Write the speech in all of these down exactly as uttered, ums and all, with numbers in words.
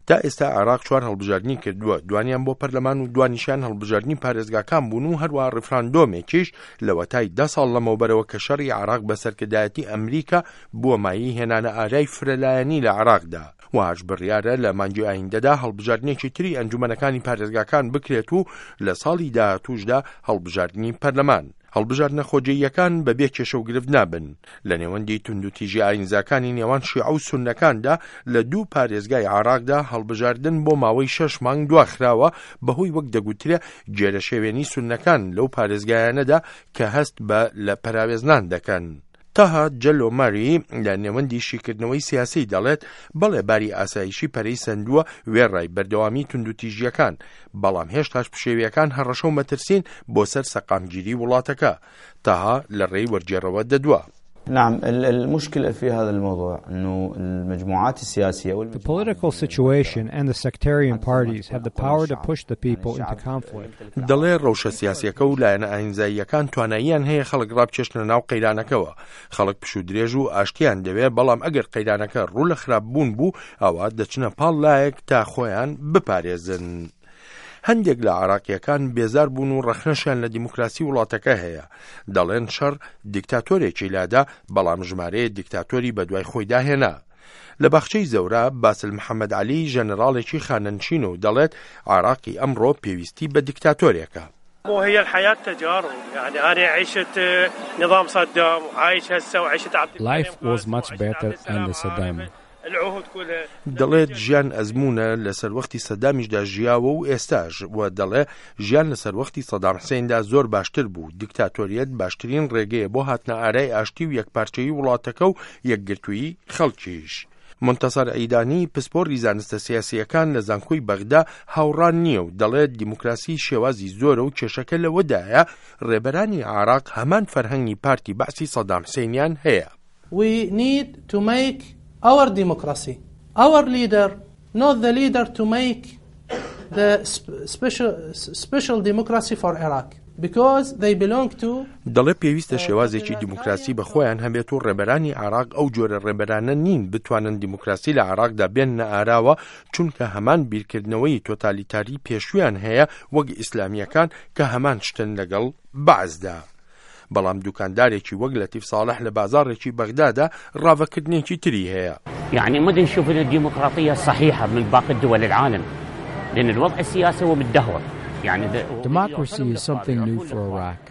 تا ئێستا عێراق چوار هەڵبژاردنی کردووە، دوانیان بۆ پەرلەمان و دوانیشیان هەڵبژاردنی پارێزگاکان بوون و هەروەها ڕیفراندۆمێکیش لەوەتای دە ساڵ لەمەوبەرەوە کە شەڕی عێراق بە سەرکردایەتی ئەمریکا بووە مایەی هێنانە ئارای فرەلایەنی لە عێراقدا. وهاش بڕیارە لە مانگی ئایندەدا هەڵبژاردنێکی تری ئەنجومەنەکانی پارێزگاکان بکرێت و لە ساڵی داهاتووشدا هەڵبژاردنی پەرلەمان. هەڵبژاردنە خۆجێیەکان بەبێ کێشە و گرفت نابن. لە نێوەندی توندوتیژی ئاینزاکانی نێوان شیعە و سوننەکاندا لە دوو پارێزگای عێراقدا هەڵبژاردن بۆ ماوەی شەش مانگ دواخراوە بەهۆی وەک دەگوترێ گێرەشێوێنی سوننەکان لەو پارێزگایانەدا کە هەست بە لە پەراوێزنان دەکەن. تاها جەلۆ ماری لە نێوەندی شیکردنەوەی سیاسی دەڵێت بەڵێ باری ئاسایشی پەرەی سەندووە وێڕای بەردەوامی توندوتیژیەکان، بەڵام هێشتاش پشێویەکان هەڕەشە و مەترسین بۆ سەر سەقامگیری وڵاتەکە. تاها لە ڕێی وەرگێڕەوە دەدوا. نعم، المشكلة في هذا الموضوع أنه المجموعات السياسية The political situation and the sectarian parties have the power to push the people into conflict. دەڵێ ڕەوشە سیاسیەکە و لایەنە ئاینزاییەکان تواناییان هەیە خەڵک ڕابکێشنە ناو قەیرانەکەوە. خەڵک پشوو درێژ و ئاشتیان دەوێ، بەڵام ئەگەر قەیرانەکە ڕوو لە خراپ بوون بوو ئەوە دەچنە پاڵ لایەک تا خۆیان بپارێزن. هەندێک لە عێراقیەکان بێزار بوون و ڕەخنەشیان لە دیموکراسی وڵاتەکە هەیە. دەڵێن شەڕ دیکتاتۆرێکی لادا، بەڵام ژمارەیە دیکتاتۆری بەدوای خۆیدا هێنا. لە باخچەی زەورا باسل محەممەد عەلی ژەنەراڵێکی خانەنشین و دەڵێت عێراقی ئەمڕۆ پێویستی بە دیکتاتۆرێکە. هي الحياة تجارب، يعني أنا عشت نظام صدام وعايش هسه وعشت عبد Life was much better under Saddam. العهود كلها. دەڵێت ژیان ئەزمونە، لە سەروەختی سەدامیشدا ژیاوە و ئێستاش، و دەڵێ ژیان لە سەروەختی سەدام حسێندا زۆر باشتر بوو. دیکتاتۆریەت باشترین ڕێگەیە بۆ هاتنە ئارای ئاشتی و یەکپارچەیی وڵاتەکە و یەکگرتوویی خەڵکیش. منتەسەر عیدانی پسپۆڕی زانستە سیاسیەکان لە زانکۆی بەغدا هاوڕان نییە و دەڵێت دیموکراسی شێوازی زۆرە و کێشەکە لەوەدایە ڕێبەرانی عێراق هەمان فەرهەنگی پارتی بەعسی سەدام حسێنیان هەیە. We need to make our democracy, our leader, not the leader to make the special, special democracy for Iraq. Because they belong to دەڵێ پێویستە شێوازێکی دیموکراسی بە خۆیان هەبێت و ڕێبەرانی عێراق ئەو جۆرە ڕێبەرانە نین بتوانن دیموکراسی لە عێراقدا بێننە ئاراوە، چونکە هەمان بیرکردنەوەی تۆتالیتاری پێشویان هەیە وەک ئیسلامیەکان کە هەمان شتن لەگەڵ بەعسدا. بەڵام دوکاندارێکی وەک لەتیف ساڵح لە بازاڕێکی بەغدادا ڕاڤەکردنێکی تری هەیە. يعني ما نشوف الديمقراطية الصحيحة من باقي الدول العالم، لأن الوضع السياسي هو متدهور. يعني Democracy is something new for Iraq.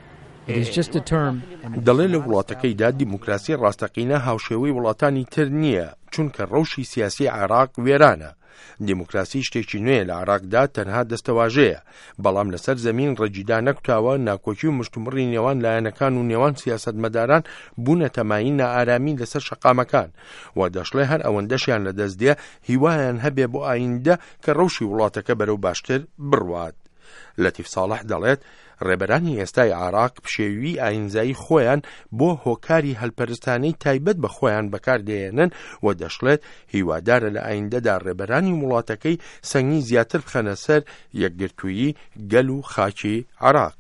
It is just a term. دەڵێ لە وڵاتەکەیدا دیموکراسی ڕاستەقینە هاوشێوەی وڵاتانی تر نییە، چونکە ڕەوشی سیاسی عێراق وێرانە. دیموکراسی شتێکی نوێ لە عێراقدا تەنها دەستەواژەیە، بەڵام لەسەر زەمین ڕەگی دانەکوتاوە. ناکۆکی و مشتومڕی نێوان لایەنەکان و نێوان سیاسەتمەداران بوونەتە مایەی نائارامی لەسەر شەقامەکان، و دەشڵێ هەر ئەوەندەشیان لەدەست دێ هیوایان هەبێ بۆ ئایندە کە ڕەوشی وڵاتەکە بەرەو باشتر بڕوات. لەتیف ساڵح دەڵێت ڕێبەرانی ئێستای عێراق پشێوی ئاینزایی خۆیان بۆ هۆکاری هەلپەرستانەی تایبەت بە خۆیان بەکاردێنن و دەشڵێت هیوادارە لە ئایندەدا ڕێبەرانی وڵاتەکەی سەنگی زیاتر بخەنە سەر یەکگرتوویی گەل و خاکی عێراق.